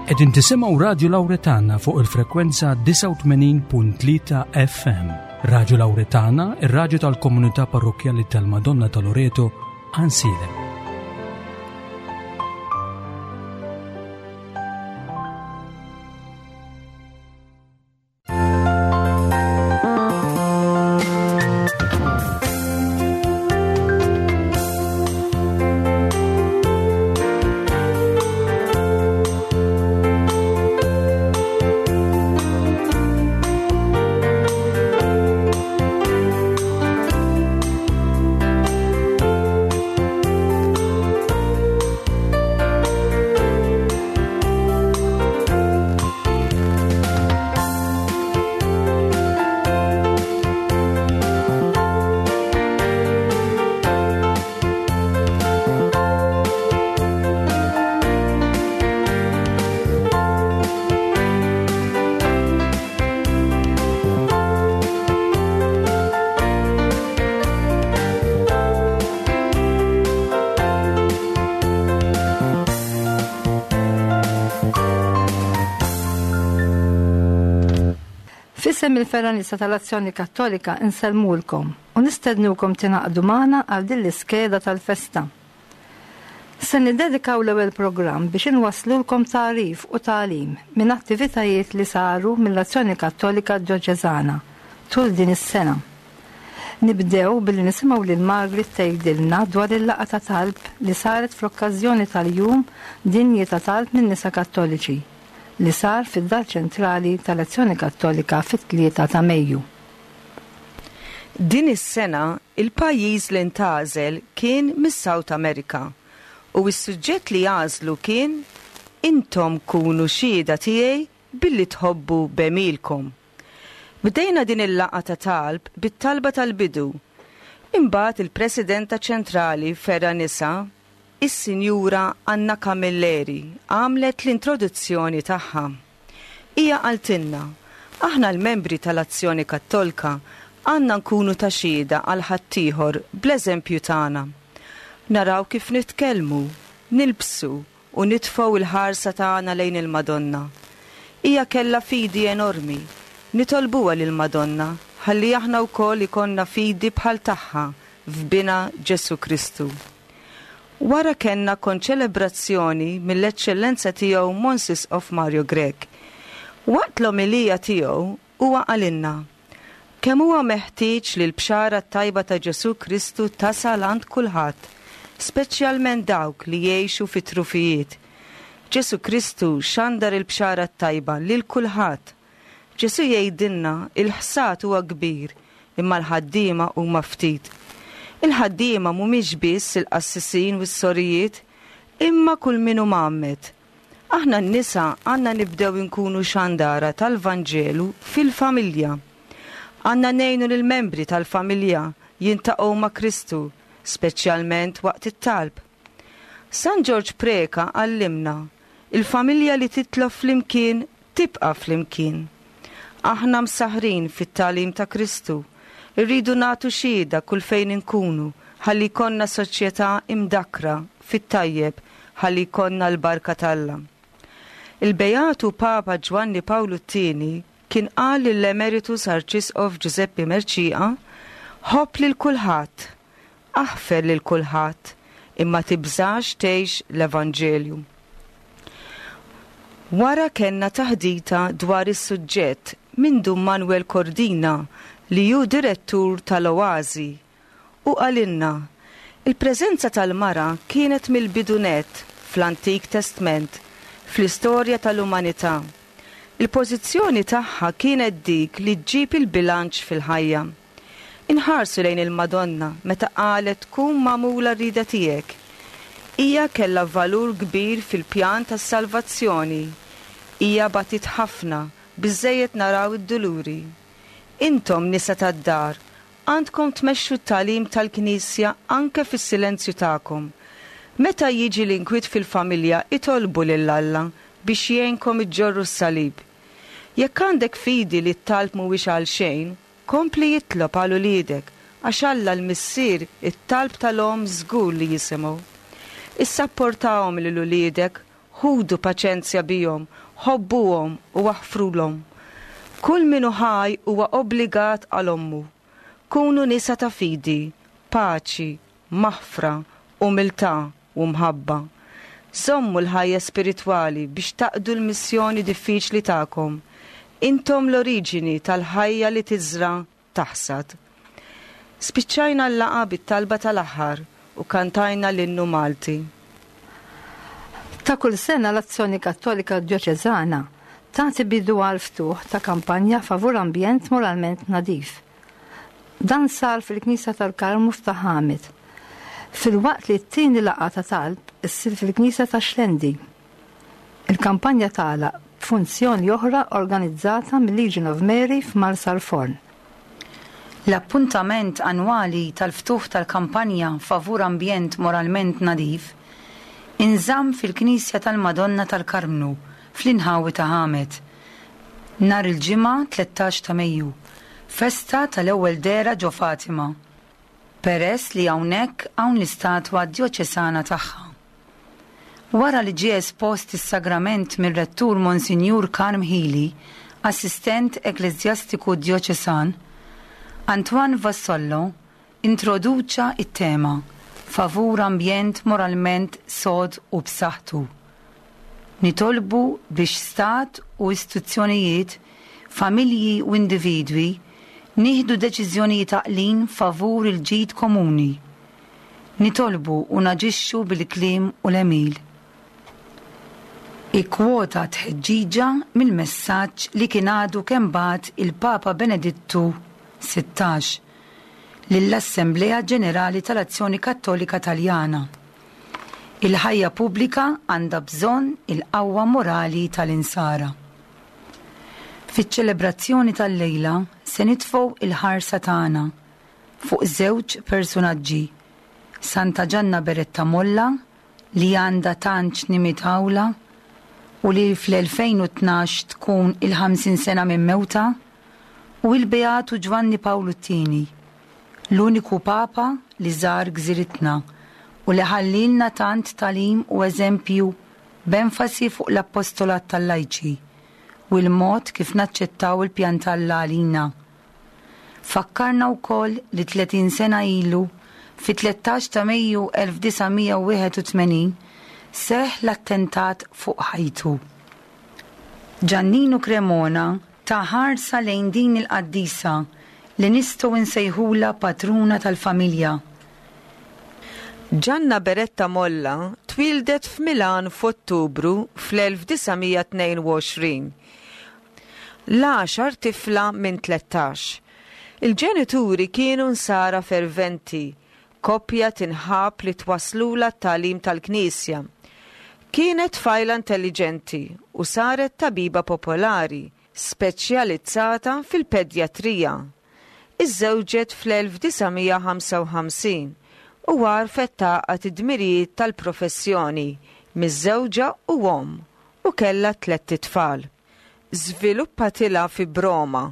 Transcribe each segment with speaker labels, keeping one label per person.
Speaker 1: Qegħdin tisimgħu Radju Lawretana fuq il-frekwenza 89.3 FM. Radju Lawretana, ir-radju tal-komunità parrokkjali tal-Madonna ta' Loreto, Ansilem.
Speaker 2: F'isem il-Fergħa Nisa tal-Azzjoni Kattolika nsellmulkom u nistednukom tingħaqdu magħna għal din l-iskeda tal-festa. Se niddedikaw l-ewwel programm biex inwasslulkom tagħrif u tagħlim minn attivitajiet li saru mill-Azzjoni Kattolika Djoċeżana tul din is-sena. Nibdew billi nisimgħu lil Margaret tgħidilna dwar il-laqgħa ta' talb li saret fl-okkażjoni tal-Jum Dinji ta' Talb min-Nisa Kattoliċi li sar fid-Dar Ċentrali tal-Azzjoni Kattolika fit-3 ta' Mejju.
Speaker 3: Din is-sena il-pajjiż li ntgħażel kien mis-South America u s-suġġett li għażlu kien Intom kunu xhieda tiegħi billi tħobbu b'għemilkom. Bdejna din il-laqgħa ta' talb bit-talba tal-bidu. Imbagħad il-Presidenta Ċentrali Fergħa Nisa, is-Sinjura Anna Camilleri għamlet l-introduzzjoni tagħha. Hija qaltilna, Aħna l-membri tal-Azzjoni Kattolka għandna nkunu ta' xhieda għal ħaddieħor bl-eżempju tagħna. Naraw kif nitkellmu, nilbsu u nitfgħu l-ħarsa tagħna lejn il-Madonna. Hija kellha fidi enormi. Nitolbuha lill-Madonna ħalli aħna wkoll ikollna fidi bħal tagħha f'Binha Ġesù Kristu. Wara kellna konċelebrazzjoni mill-Eċċellenza Tiegħu Mons Isqof Mario Grech. Waqt l-omelija tiegħu huwa qalilna kemm huwa meħtieġ li l-Bxara t-Tajba ta' Ġesù Kristu tasal għand kulħadd, speċjalment dawk li jgħixu fit-trufijiet. Ġesù Kristu xandar il-Bxara t-Tajba lil kulħadd. Ġesù jgħidilna il-ħsad huwa kbir imma l-ħaddiema huma ftit. Il-ħaddiema mhumiex biss il-qassisin u s-sorijiet imma kull min hu mgħammed. Aħna n-nisa għandna nibdew inkunu xandara tal-Vanġelu fil-familja. Għandna ngħinu lill-membri tal-familja jintaqgħu ma' Kristu, speċjalment waqt it-talb. San Ġorġ Preca għallimna, Il-familja li titlob flimkien tibqa' flimkien. Aħna msaħħrin fit-tagħlim ta' Kristu. Irridu nagħtu xhieda kull fejn inkunu ħalli jkollna soċjetà imdakkra fit-tajjeb ħalli jkollna l-barka t'Alla. Il-Beatu Papa Ġwanni Pawlu t-Tieni kien qal lill-Emeritus Arċisqof Ġużeppi Mercieca, Ħobb lil kulħadd, aħfer lil kulħadd, imma tibżax tgħix l-Evanġelju. Wara kellna taħdita dwar is-suġġett minn Dun Manuel Cordina li hu direttur tal-Oasi Hu qalilna, Il-preżenza tal-mara kienet mill-bidu nett fl-Antik Testment, fl-istorja tal-umanità. Il-pożizzjoni tagħha kienet dik li ġġib il-bilanċ fil-ħajja. Inħarsu lejn il-Madonna meta qalet tkun magħmula r-rieda tiegħek. Hija kellha valur kbir fil-pjan tas-salvazzjoni. Hija batiet ħafna, biżżejjed naraw id-duluri. Intom nisa tad-dar, Għandkom tmexxu t-tagħlim tal-Knisja anke fis-silenzju tagħkom. Meta jiġi l-inkwiet fil-familja itolbu lil Alla biex jgħinkom iġġorru s-salib. Jekk għandek fidi li t-talb mhuwiex għalxejn, kompli itlob għal uliedek għax Alla l-Missier it-talb tal-omm żgur li jisimgħu. Issapportahom lil uliedek. Ħudu paċenzja bihom, ħobbuhom u aħfrulhom. Kull min hu ħaj huwa obbligat għal ommu. Kunu nisa ta' fidi, paċi, maħfra, umiltà u mħabba. Żommu l-ħajja spiritwali biex taqdu l-missjoni diffiċli tagħkom. Intom l-oriġini tal-ħajja li tiżra' taħsad. Spiċċajna l-laqgħa bit-talba tal-aħħar u kantajna l-innu Malti.
Speaker 2: Ta' kull sena l-Azzjoni Kattolika Djoċeżana tagħti bidu għall-ftuħ ta' kampanja favur ambjent moralment nadif. Dan sar fil-Knisja tal-Karmnu f'Ta' Ħamid, filwaqt li t-tieni laqgħa ta' talb issir fil-Knisja ta' Xlendi. Il-kampanja tagħlaq b'funzjoni oħra organizzata mil-Legion of Mary f'Marsalforn.
Speaker 4: L-appuntament annwali tal-ftuħ tal-kampanja favur ambjent moralment nadif inżamm fil-Knisja tal-Madonna tal-Karmnu fl-inħawi ta' Ħamed, nhar il-Ġimgħa 13 ta' Mejju, festa tal-ewwel dehra ġo Fatima, peress li hawnhekk hawn l-istatwa djoċesana tagħha. Wara li ġie espost is-sagrament mir-Rettur Monsinjur Karm Hili, Assistent Ekkleżjastiku Djoċesan, Antoine Vassallo introduċa t-tema favur ambjent moralment sod u b'saħħtu. Nitolbu biex stat u istituzzjonijiet, familji u individwi nieħdu deċiżjonijiet għaqlin favur il-ġid komuni. Nitolbu u naġixxu bil-kliem u l-għemil. Ikkwota tħeġġiġa mill-messaġġ li kien għadu kemm bagħat il-Papa Benedittu 16 lill-Assemblea Ġenerali tal-Azzjoni Kattolika Taljana. Il-ħajja pubblika għandha bżonn il-qawwa morali tal-Insara. Fiċ-ċelebrazzjoni tal-lejla se nitfgħu il-ħarsa tagħna fuq żewġ persunaġġi, Santa Ġanna Beretta Molla li għandha tant x'nimitawlha u li fl-2012 tkun il-50 sena minn mewtha, u il-Beatu Ġwanni Pawlu t-Tieni, l-uniku Papa li żar gżiritna u li ħallielna tant tagħlim u eżempju b'enfasi fuq l-appostolat tal-lajċi u l-mod kif naċċettaw il-pjan t'Alla għalina. Fakkarna wkoll li 30 sena ilu, fit-13 ta' Mejju 1981, seħħ l-attentat fuq ħajtu. Ġanninu Cremona ta ħarsa lejn din il-qaddisa li nistgħu nsejħulha patruna tal-familja.
Speaker 3: Gianna Beretta Molla twieldet f'Milan f'Ottubru fl-1922. L-għaxar tifla minn 13. Il-ġenituri kienu Nsara ferventi, koppja tinħabb li twasslulha t-tagħlim tal-Knisja. Kienet tfajla intelliġenti u saret tabiba popolari, speċjalizzata fil-pedjatrija. Iżżewġet fl-1955 u għarfet tgħaqqad id-dmirijiet tal-professjoni, miżżewġa u omm, u kellha tlett itfal. Żviluppatilha fibroma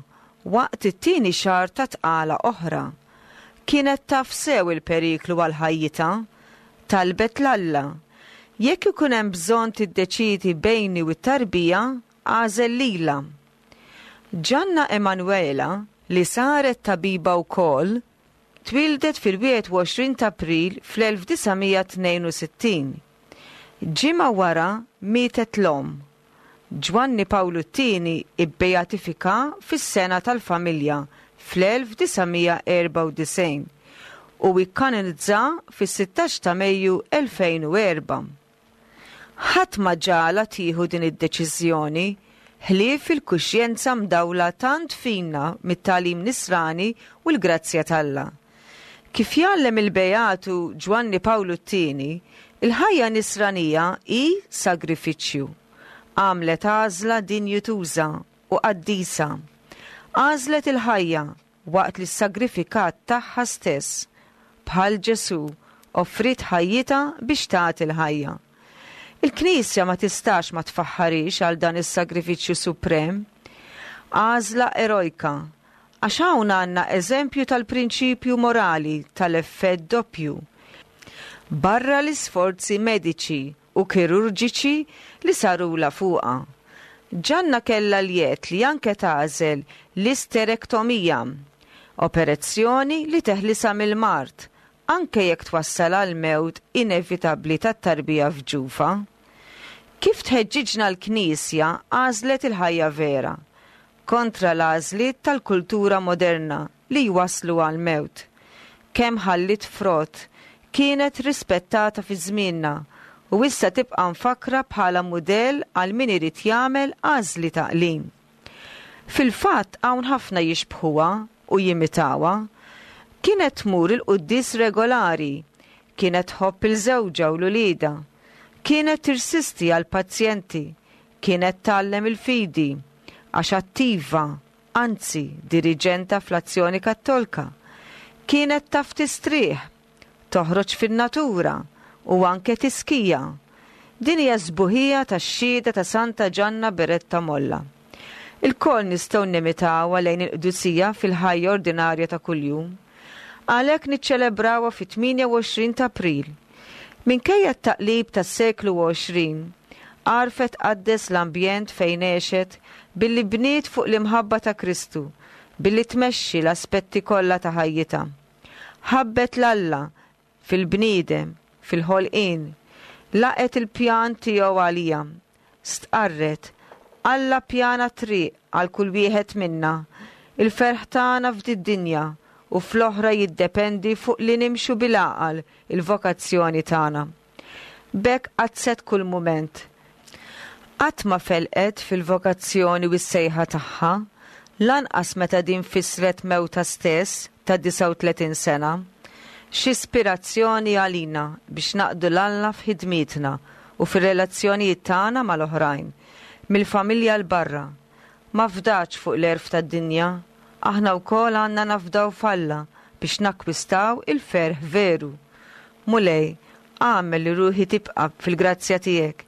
Speaker 3: waqt it-tieni xahar ta' tqala oħra. Kienet taf sew il-periklu għal ħajjitha. Talbet 'l Alla, Jekk ikun hemm bżonn tiddeċiedi bejni u t-tarbija, agħżel lilha. Gianna Emanuela, li saret tabiba wkoll, twieldet fil-21 t'April fl-1962. Ġimgħa wara mietet l-omm. Ġwanni Pawlu t-Tieni bbeatifika fis-Sena tal-Familja fl-1994 u ikkanonizza fis-16 ta' Mejju 2004. Ħadd ma ġagħalha tieħu din id-deċiżjoni ħlief il-kuxjenza mdawla tant fina mit-tagħlim Nisrani u l-grazzja t'Alla. Kif jgħallem il-Beatu Ġwanni Pawlu t-Tieni, il-ħajja Nisranija hi sagrifiċċju. Għamlet għażla dinjituża u qaddisa. Għażlet il-ħajja waqt li ssagrifikat tagħha stess. Bħal Ġesù, offriet ħajjitha biex tagħti l-ħajja. Il-Knisja ma tistax ma tfaħħarhiex għal dan is-sagrifiċċju suprem. Għażla erojka, Għax hawn għandna eżempju tal-prinċipju morali tal-effett doppju. Barra l-isforzi mediċi. u kirurġiċi li sarulha fuqha. Ġanna kellha l-jedd li anke tagħżel l-isterektomija, operezzjoni li teħlisha mill-mard, anke jekk twassal għall-mewt inevitabbli tat-tarbija f'ġufha. Kif tħeġġiġna l-Knisja għażlet il-ħajja vera, kontra l-għażliet tal-kultura moderna li jwasslu għall-mewt. Kemm ħalliet frott, kienet rispettata fi żmienna u issa tibqa' mfakkra bħala mudell għal min irid jagħmel għażliet għaqlin. Fil-fatt hawn ħafna jixbħuha u jimitawha. Kienet tmur il-quddies regolari, kienet tħobb 'il żewġha u 'l uliedha, kienet tirsisti għall-pazjenti, kienet tgħallem il-fidi, għax attiva, anzi diriġenta fl-Azzjoni Kattolka. Kienet taf tistrieħ, toħroġ fin-natura u anke tiskija. Din hija s-sbuħija tax-xhieda ta' Santa Ġanna Beretta Molla. Ilkoll nistgħu nimitawha lejn il-qdusija fil-ħajja ordinarja ta' kuljum. Għalhekk niċċelebrawha fit-28 ta' April. Minkejja t-taqlib tas-seklu 20, għarfet tqaddes l-ambjent fejn għexet billi bniet fuq l-imħabba ta' Kristu, billi tmexxi l-aspetti kollha ta' ħajjitha. Ħabbet 'l Alla fil-bniedem, fil-ħolqien. Laqgħet il-pjan tiegħu għaliha. Stqarret, Alla ppjana triq għal kull wieħed minna. Il-ferħ tagħna f'did-dinja u fl-oħra jiddependi fuq li nimxu bil-għaqal il-vokazzjoni tagħna. B'hekk qaddset kull mument. Qatt ma felqet fil-vokazzjoni u s-sejħa tagħha, lanqas meta din fissret mewtha stess ta' 39 sena. X'ispirazzjoni għalina biex naqdu 'l Alla f'ħidmietna u fir-relazzjonijiet tagħna mal-oħrajn, mill-familja 'l barra. Ma fdatx fuq l-għerf tad-dinja, aħna wkoll għandna nafdaw f'Alla biex nakkwistaw il-ferħ veru. Mulej, agħmel li ruħi tibqa' fil-grazzja tiegħek.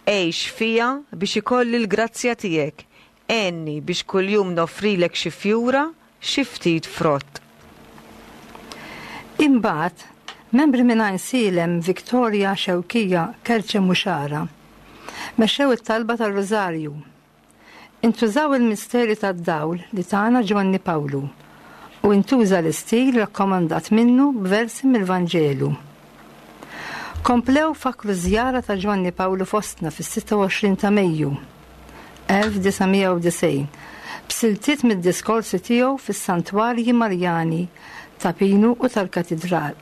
Speaker 3: Għix fija biex ikolli l-grazzja tiegħek. Għenni biex kuljum noffrilek xi fjura, xi ftit frott.
Speaker 2: Imbagħad, membri minn Għajnsielem, Victoria, Xewkija, Kerċem u Xagħra mexxew it-talba tar-Rużarju. Intużaw il-misteri tad-dawl li tana Ġwanni Pawlu u intuża l-istil rakkomandat minnu b'versi mill-Vanġelu. Komplew fakkru ż-żjara ta' Ġwanni Pawlu fostna fis-26 ta' Mejju 1990 b'siltiet mid-diskorsi tiegħu fis-Santwarji Marjani ta' Pinu u tal-Katidral,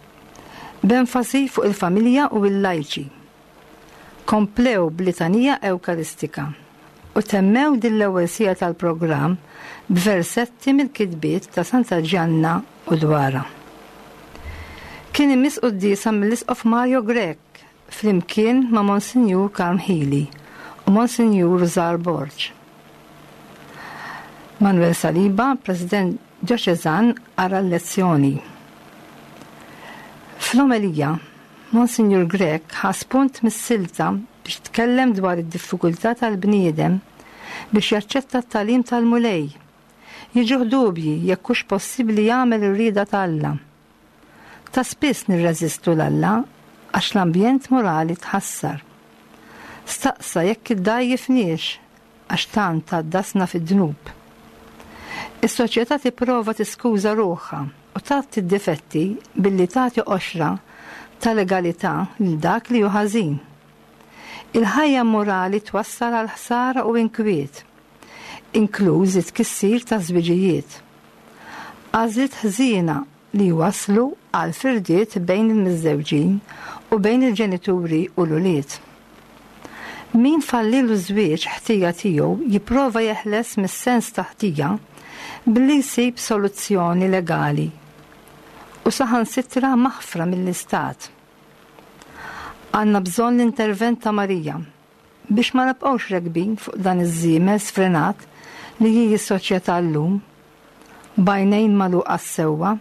Speaker 2: b'enfasi fuq il-familja u l-lajċi. Komplew b'litanija Ewkaristika u temmew din l-ewwel siegħa tal-programm b'versetti mill-kitbiet ta' Santa Ġanna u dwarha. Kien imiss quddiesa mill-Isqof Mario Grech flimkien ma' Monsinjur Karm Hili u Monsinjur Rużar Borg. Manuel Saliba, President Djoċeżan qara l-lezzjoni. Fl-omelija, Monsinjur Grech ħa spunt mis-silta biex tkellem dwar id-diffikultà tal-bniedem biex jaċċetta t-tagħlim tal-Mulej. Jiġuh dubji jekk hux possibbli jagħmel ir-rieda ta' Alla. Ta' spiss nirreżistu 'l Alla għax l-ambjent morali tħassar. Staqsa jekk iddgħajjifniex għax tant għaddasna fid-dnub. Is-soċjetà tipprova tiskuża ruħha u tgħatti d-difetti billi tagħti qoxra ta' legalità lil dak li hu ħażin. Il-ħajja immorali twassal għal ħsara u inkwiet, inkluż it-tkissir taż-żwiġijiet. Għażliet ħżiena li jwasslu għal firdiet bejn il-miżżewġin u bejn il-ġenituri u l-ulied. Min fallielu ż-żwieġ ħtija tiegħu jipprova jeħles mis-sens ta' ħtija billi jsib soluzzjoni legali u saħansitra maħfra mill-Istat. Għandna bżonn l-intervent ta' Marija biex ma nibqgħux rekbin fuq dan iż-żiemel sfrenat li hi s-soċjetà llum, b'għajnejn magħluqa għas-sewwa.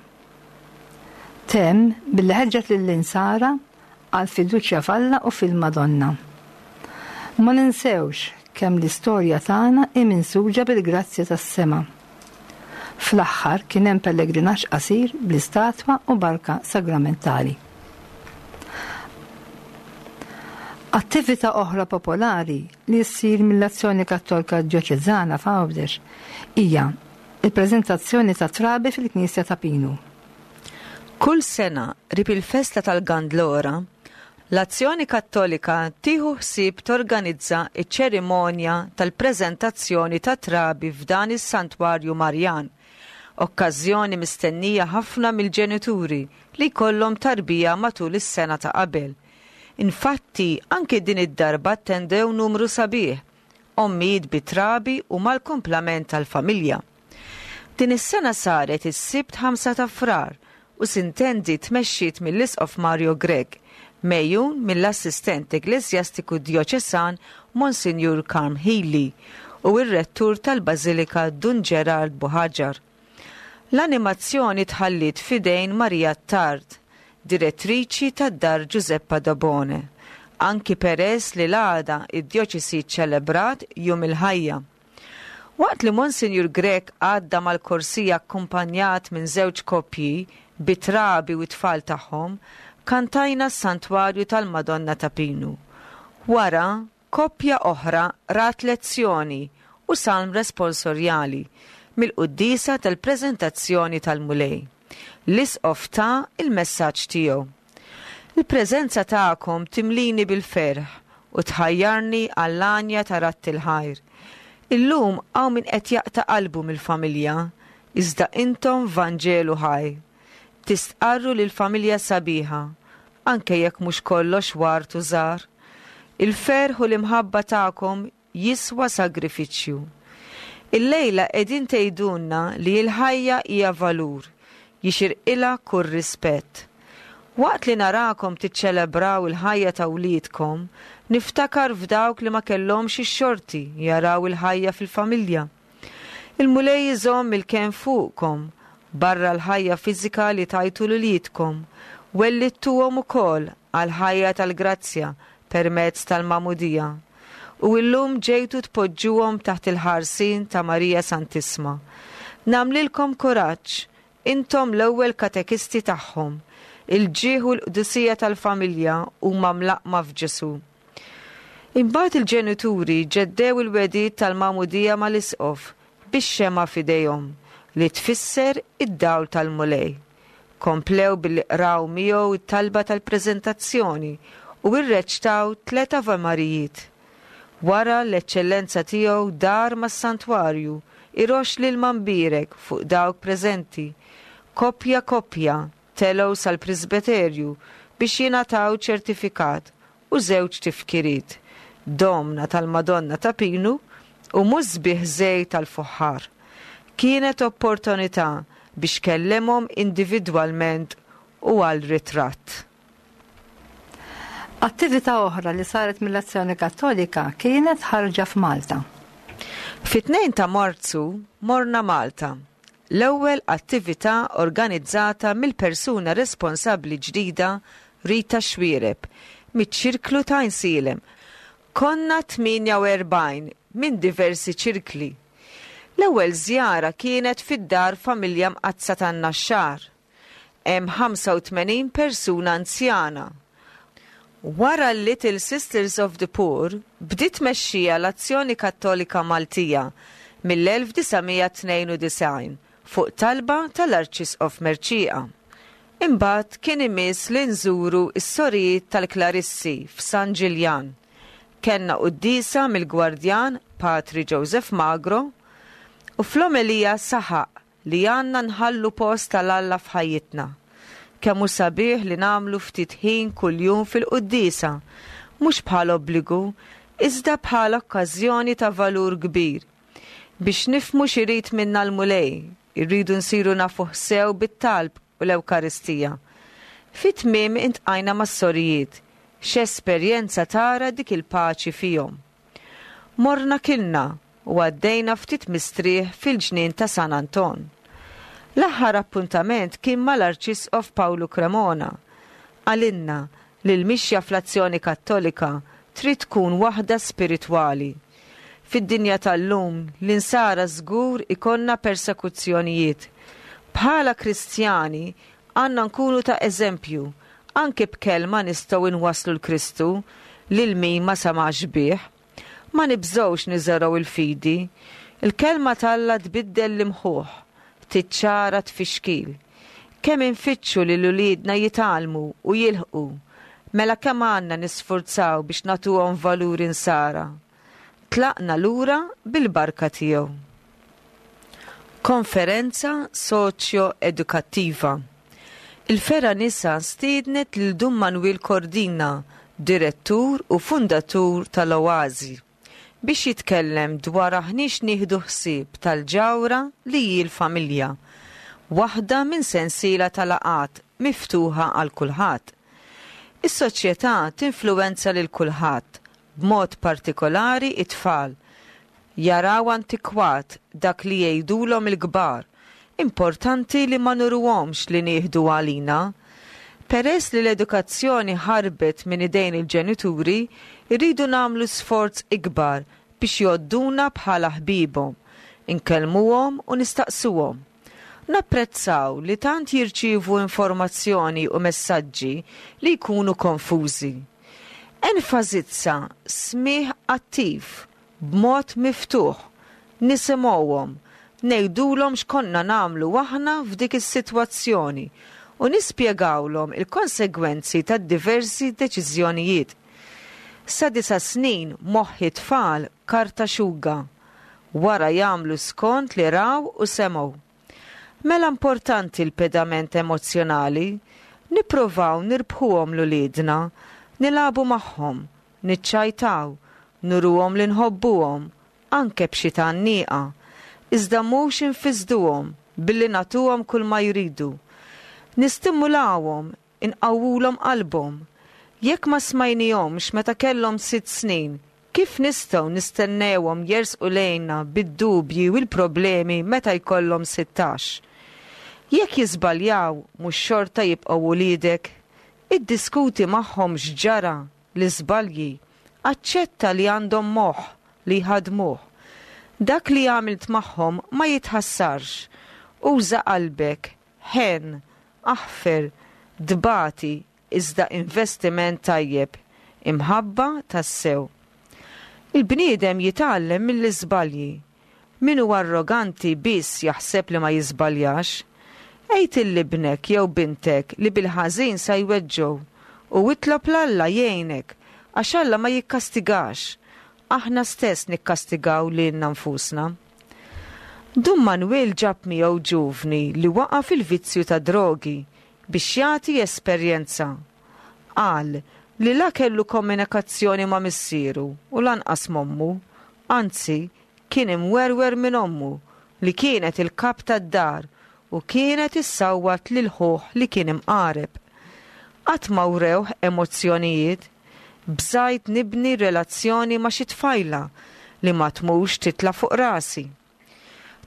Speaker 2: Temm billi ħeġġet lill-Insara għall-fiduċja f'Alla u fil-Madonna. Ma ninsewx kemm l-istorja tagħna hi minsuġa bil-grazzja tas-sema. Fl-aħħar kien hemm pellegrinaġġ qasir bl-istatwa u barka sagramentali. Attività oħra popolari li ssir mill-Azzjoni Kattolika Djoċeżana f'Għawdex hija l-preżentazzjoni ta' trabi fil-Knisja ta' Pinu.
Speaker 3: Kull sena, qrib il-festa tal-Gandlora, l-Azzjoni Kattolika tieħu ħsieb torganizza ċ-ċerimonja tal-preżentazzjoni ta' trabi f'dan is-Santwarju Marjan, okkażjoni mistennija ħafna mill-ġenituri li jkollhom tarbija matul is-sena ta' qabel. Infatti, anki din id-darba attendew numru sabiħ, ommijiet bi trabi u mal-kumplament tal-familja. Din is-sena saret is-Sibt 5 ta' Frar u sintendi tmexxiet mill-Isqof Mario Grech, megħjun mill-Assistent Ekkleżjastiku Djoċesan Monsinjur Karm Hili u r-Rettur tal-Bażilika Dun Gerard Buhaġar. L-animazzjoni tħalliet f'idejn Maria Attard, direttriċi tad-Dar Giuseppa Dabone, anki peress li l-għada d-djoċesi ċċelebrat Jum il-Ħajja. Waqt li Monsinjur Grech għadda mal-korsija akkumpanjat minn żewġ koppji bi trabi u t-tfal tagħhom, kantajna s-Santwarju tal-Madonna ta' Pinu. Wara, Koppja oħra qrat lezzjoni u salm responsorjali mill-quddiesa tal-Preżentazzjoni tal-Mulej. L-Isqof ta l-messaġġ tiegħu. Il-preżenza tagħkom timlini bil-ferħ u tħajjarni għall-għanja ta' radd il-ħajr. Illum hawn min qed jaqta' qalbu mill-familja, iżda intom Vanġelu ħaj. Tistqarru li l-familja sabiħa, anke jekk mhux kollox ward u żahar. Il-ferħ u l-imħabba tagħkom jiswa sagrifiċċju. Illejla qegħdin tgħidulna li l-ħajja hija valur, jixirqilha kull rispett. Waqt li narakom tiċċelebraw il-ħajja ta' wliedkom, niftakar f'dawk li ma kellhomx ix-xorti jaraw il-ħajja fil-familja. Il-Mulej iżomm il-kenn fuqkom, barra l-ħajja fiżika li tajtu 'l uliedkom, wellidtuhom ukoll għall-ħajja tal-grazzja permezz tal-Magħmudija, u illum ġejtu tpoġġuhom taħt il-ħarsien ta' Marija Santissma. Nagħmlilkom kuraġġ, intom l-ewwel katekisti tagħhom. Il-ġieħ u l-qdusija tal-familja huma mlaqqma f'Ġesù. Imbagħad il-ġenituri ġeddew il-wegħdiet tal-magħmudija mal-isqof bix-xemgħa f'idejhom, li tfisser id-dawl tal-Mulej. Komplew billi qraw miegħu t-talba tal-preżentazzjoni u rreċtaw tliet Ave Marijiet. Wara l-Eċċellenza Tiegħu dar mas-santwarju iroxx l-ilma mbierek fuq dawk preżenti, koppja koppja telgħu sal-presbeterju biex jingħataw ċertifikat u żewġ tifkiriet, Domna tal-Madonna ta' Pinu u Musbieħ Żejt tal-Fuħħar. Kienet opportunità biex kellemhom individwalment u għal ritratt.
Speaker 2: Attività oħra li saret mill-Azzjoni Kattolika kienet ħarġa f'Malta.
Speaker 3: Fit-2 ta' Marzu morna Malta L-ewwel attività organizzata mill-persuna responsabbli ġdida Rita Xuereb miċ-Ċirklu ta' Għajnsielem. Konna 48 minn diversi ċirkli. L-ewwel żjara kienet fid-Dar Familja Mqaddsa tan-Naxxar. Hemm 85 persuna anzjana. Wara l-Little Sisters of the Poor bdiet tmexxija l-Azzjoni Kattolika Maltija mill-1992 fuq talba tal-Arċisqof Mercieca. Imbagħad kien imiss li nżuru s-Sorijiet tal-Klarissi f'San Ġiljan. Kellna quddiesa mill-Gwardjan Patri Joseph Magro u fl-omelija saħaq li għandna nħallu post għal Alla f'ħajjitna. Kemm hu sabiħ li nagħmlu ftit ħin kuljum fil-quddiesa, mhux bħala obbligu, iżda bħala okkażjoni ta' valur kbir. Biex nifhmu x'irid minna l-Mulej, irridu nsiru nafuh sew bit-talb u l-Ewkaristija. Fi tmiem intqajna mas-sorijiet, x'esperjenza tara dik il-paċi fihom. Morna kilna u għaddejna ftit mistrieħ fil-ġnien ta' San Anton. L-aħħar appuntament kien mal-Arċisqof Pawlu Cremona. Qalilna li l-mixja fl-Azzjoni Kattolika trid tkun waħda spiritwali. Fid-dinja tal-lum l-Insara żgur ikollna persekuzzjonijiet. Bħala Kristjani għandna nkunu ta' eżempju, anki b'kelma nistgħu inwasslu 'l Kristu. lil min ma samax bih. Ma nibżgħux niżergħu l-fidi. Il-Kelma t'Alla tbiddel l-imħuħ, tiċċara t-tfixkil. Kemm infittxu li l-uliedna jitgħallmu u jilħqu, mela kemm għandna nisfurzaw biex nagħtuhom valuri Nsara. Tlaqna lura bil-barka tiegħu. Konferenza soċjo-edukattiva. Il-Fergħa Nisa stiednet lil Dun Manwiel Cordina, Direttur u Fundatur tal-Oasi, biex jitkellem dwar aħniex nieħdu ħsieb tal-ġawhra li hi l-familja, waħda minn sensiela ta' laqgħat miftuħa għal kulħadd. Is-soċjetà tinfluwenza lil kulħadd, b'mod partikolari t-tfal. Jaraw antikwat dak li jgħidulhom il-kbar. Importanti li ma nuruhomx li nieħdu għalina. Peress li l-edukazzjoni ħarbet minn idejn il-ġenituri, irridu nagħmlu sforz ikbar biex jgħodduna bħala ħbiebhom, inkellmuhom u nistaqsuhom. Napprezzaw li tant jirċievu informazzjoni u messaġġi li jkunu konfużi. Enfasizza smigħ attiv, b'mod miftuħ, nisimgħuhom, ngħidulhom x'konna nagħmlu aħna f'dik is-sitwazzjoni u nispjegawlhom il-konsegwenzi tad-diversi deċiżjonijiet. Sa disa' snin moħħ it-tfal karta xuga. Wara jagħmlu skont li raw u semgħu. Mela importanti l-pedament emozzjonali, nipprovaw nirbħuhom 'l uliedna, nilagħbu magħhom, niċċajtaw, nuruhom li nħobbuhom, anke b'xi tgħanniqa, iżda mhux infissduhom billi nagħtuhom kulma jridu. Nistimulawhom, inqawwulhom qalbhom. Jekk ma smajnihomx meta kellhom sitt snin, kif nistgħu nistennewhom jersqu lejna bid-dubji u l-problemi meta jkollhom 16? Jekk jiżbaljaw, mhux xorta jibqgħu uliedek? Iddiskuti magħhom x'ġara, l-iżbalji. Aċċetta li għandhom moħħ li jħaddmuh. Dak li għamilt magħhom ma jitħassarx. Uża qalbek, ħenn, aħfer, tbati iżda investiment tajjeb, imħabba tassew. Il-bniedem jitgħallem mill-iżbalji. Min hu arroganti biss jaħseb li ma jiżbaljax. Għid 'il ibnek jew bintek li bil-ħażin sa jweġġgħu u itlob 'l Alla jgħinek għax Alla ma jikkastigax. Aħna stess nikkastigaw lilna nfusna. Dun Manwiel ġab miegħu ġuvni li waqa' fil-vizzju tad-drogi biex jagħti esperjenza. Qal li la kellu komunikazzjoni ma' missieru u lanqas m'ommu, anzi kien imwerwer minn ommu li kienet il-kap tad-dar u kienet issawwat lil ħuh li kien imqareb. Qatt ma wrewh emozzjonijiet. Bżajt nibni relazzjoni ma' xi tfajla li ma tmurx titla' fuq rasi.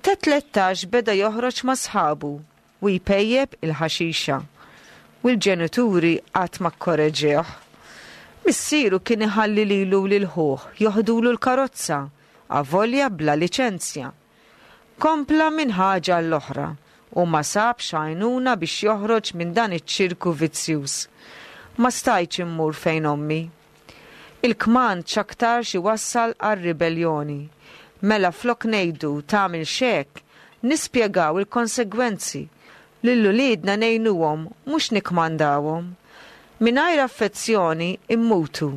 Speaker 3: Ta' 13 beda joħroġ ma' sħabu u jpejjep il-ħaxixa. U l-ġenituri qatt ma kkoreġewh. Missieru kien iħalli lilu u lil ħuh joħdulu l-karozza, avolja bla liċenzja. Kompla minn ħaġa għall-oħra u ma sabx għajnuna biex joħroġ minn dan iċ-ċirku vizzjuż. Ma stajtx immur fejn ommi. Il-kmand x'aktarx iwassal għar-ribelljoni. Mela flok ngħidu tagħmilx hekk, nispjegaw il-konsegwenzi. Lil uliedna ngħinuhom mhux nikkmandawhom. Mingħajr affezzjoni mmutu.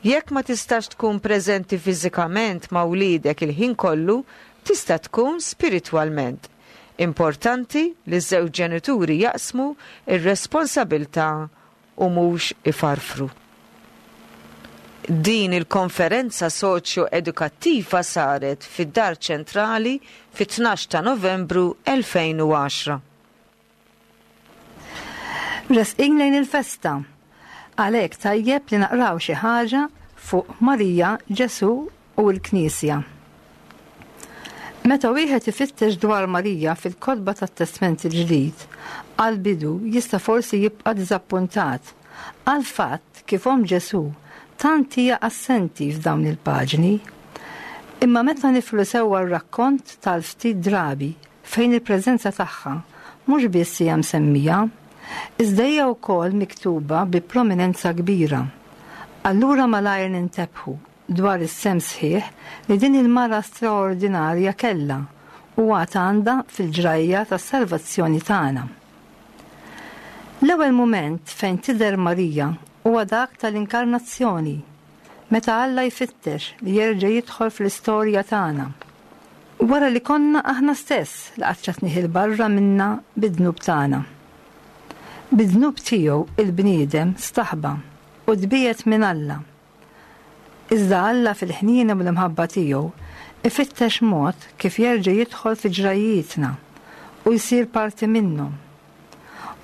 Speaker 3: Jekk ma tistax tkun preżenti fiżikament ma' wliedek il-ħin kollu, tista' tkun spiritwalment. Importanti li ż-żewġ ġenituri jaqsmu r-responsabilità u mhux ifarfru. Din il-konferenza soċjo-edukattiva saret fid-Dar Ċentrali fit-12 ta' Novembru 2010.
Speaker 2: Resqin lejn il-festa. Għalhekk tajjeb li naqraw xi ħaġa fuq Marija, Ġesù u l-Knisja. Meta wieħed ifittex dwar Marija fil-kotba tat-Testment il-Ġdid, għall-bidu jista' forsi jibqa' diżappuntat għall-fatt kif omm Ġesù tant hija assenti f'dawn il-paġni. Imma meta niflu sewwa r-rakkont tal-ftit drabi fejn il-preżenza tagħha mhux biss hija msemmija, iżda hija wkoll miktuba bi prominenza kbira. Allura malajr nintebħu dwar is-sehem sħiħ li din il-mara straordinarja kellha u għad għandha fil-ġrajja tas-salvazzjoni tagħna. L-ewwel mument fejn tidher Marija huwa dak tal-Inkarnazzjoni, meta Alla jfittex li jerġa' jidħol fl-istorja tagħna. Wara li konna aħna stess li qaċċatnih 'il barra minna bid-dnub tagħna. Bid-dnub tiegħu il-bniedem staħba u tbiegħed minn Alla. Iżda Alla fil-ħniena u l-imħabba tiegħu ifittex mod kif jerġa' jidħol fi ġrajjietna u jsir parti minnhom.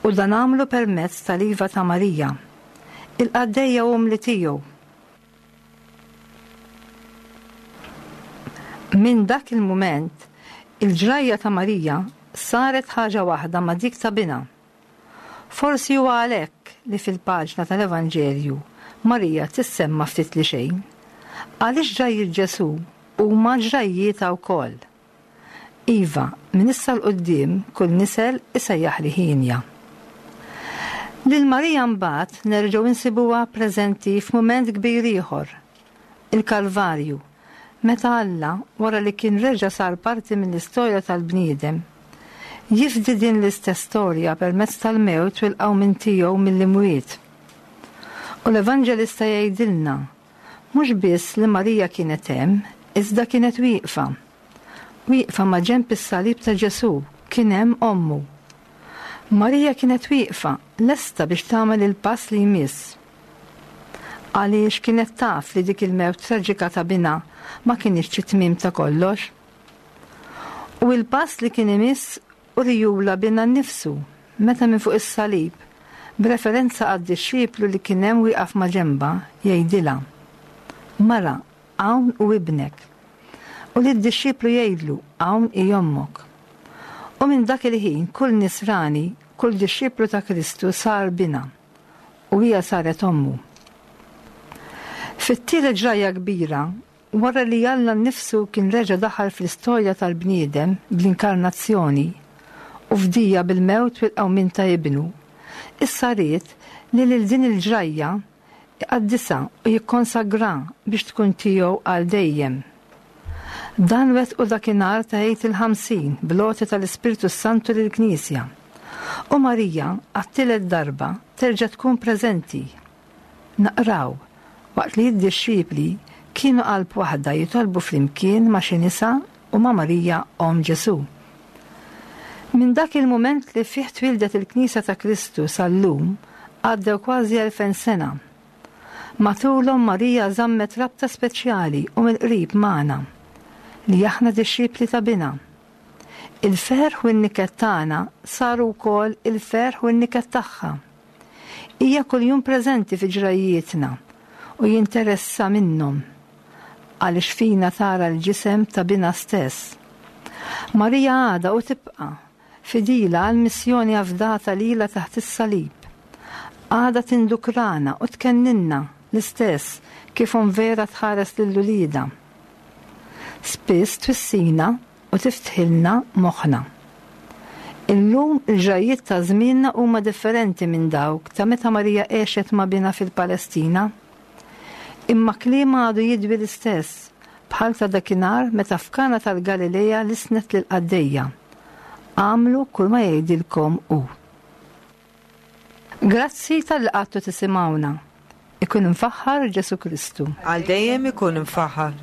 Speaker 2: U dan għamlu permezz tal-iva ta' Marija, il-qaddejja umli tiegħu. Minn dak il-mument, il-ġrajja ta' Marija saret ħaġa waħda ma' dik ta' binha. Forsi huwa għalhekk li fil-paġna tal-Evanġelju Marija tissemma ftit li xejn. Għaliex ġrajjiet Ġesù huma ġrajjietha wkoll. Iva, minn issa 'l quddiem kull nisel isejjaħli hienja. Lil Marija mbagħad nerġgħu nsibuha preżenti f'mument kbir ieħor, il-Kalvarju, meta Alla, wara li kien reġa' sar parti mill-istorja tal-bniedem, jifdi din l-istess storja permezz tal-mewt u l-qawmien tiegħu mill-imwiet. U l-Evanġelista jgħidilna mhux biss li Marija kienet hemm, iżda kienet wieqfa. Wieqfa maġenb is-salib ta' Ġesù kien hemm ommu. Marija kienet wieqfa, lesta biex tagħmel il-pass li jmiss. Għaliex kienet taf li dik il-mewt traġika ta' binha ma kinitx it-tmiem ta' kollox. U il-pass li kien imiss urijulha binha nnifsu meta minn fuq is-salib, b'referenza għad-dixxiplu li kien hemm wieqaf maġenbha, jgħidilha, Mara, hawn hu ibnek. U lid-dixxiplu jgħidlu, Hawn hi ommok. U minn dak il-ħin kull nisrani, kull dixxiplu ta' Kristu sar binha. U hija saret ommu. Fit-tielet ġrajja kbira, wara li Alla nnifsu kien reġa' daħal fl-istorja tal-bniedem bl-inkarnazzjoni u fdija bil-mewt u l-qawmien ta' Ibnu, issa ried li lil din il-ġrajja iqaddisha u jikkonsagrha biex tkun tiegħu għal dejjem. Dan wettqu dakinhar ta' Għid il-Ħamsin bl-għotja tal-Ispirtu s-Santu lill-Knisja. U Marija, għat-tielet darba, terġa' tkun preżenti. Naqraw, waqt li d-dixxipli kienu qalb waħda jitolbu flimkien ma' xi nisa u ma' Marija omm Ġesù. Minn dak il-mument li fih twieldet il-Knisja ta' Kristu sal-lum għaddew kważi 2000 sena. Matulhom Marija żammet rabta speċjali u mill-qrib magħna, li aħna dixxipli ta' Binha. Il-ferħ u n-niket tagħna saru wkoll il-ferħ u n-niket tagħha. Hija kuljum preżenti fi ġrajjietna u jinteressa minnhom, għaliex fina tara l-ġisem ta' Binha stess. Marija għadha u tibqa' Fidila għall-missjoni afdata lilha taħt is-salib, għadha tindukrana u tkenninna l-istess kif omm vera tħares lil uliedha. Spiss twissina u tiftħilna moħħna. Illum il-ġrajjiet ta' żmienna huma differenti minn dawk ta' meta Marija għexet ma' binha fil-Palestina. Imma kliemha għadu jidwi l-istess, bħal ta' dakinhar meta f'Kana tal-Galilea lissnet lill-qaddejja, Agħmlu kull ma jgħidilkom hu. Grazzi talli qgħadtu tisimgħuna. Ikun imfaħħar Ġesù Kristu.
Speaker 3: Għal dejjem ikun imfaħħar.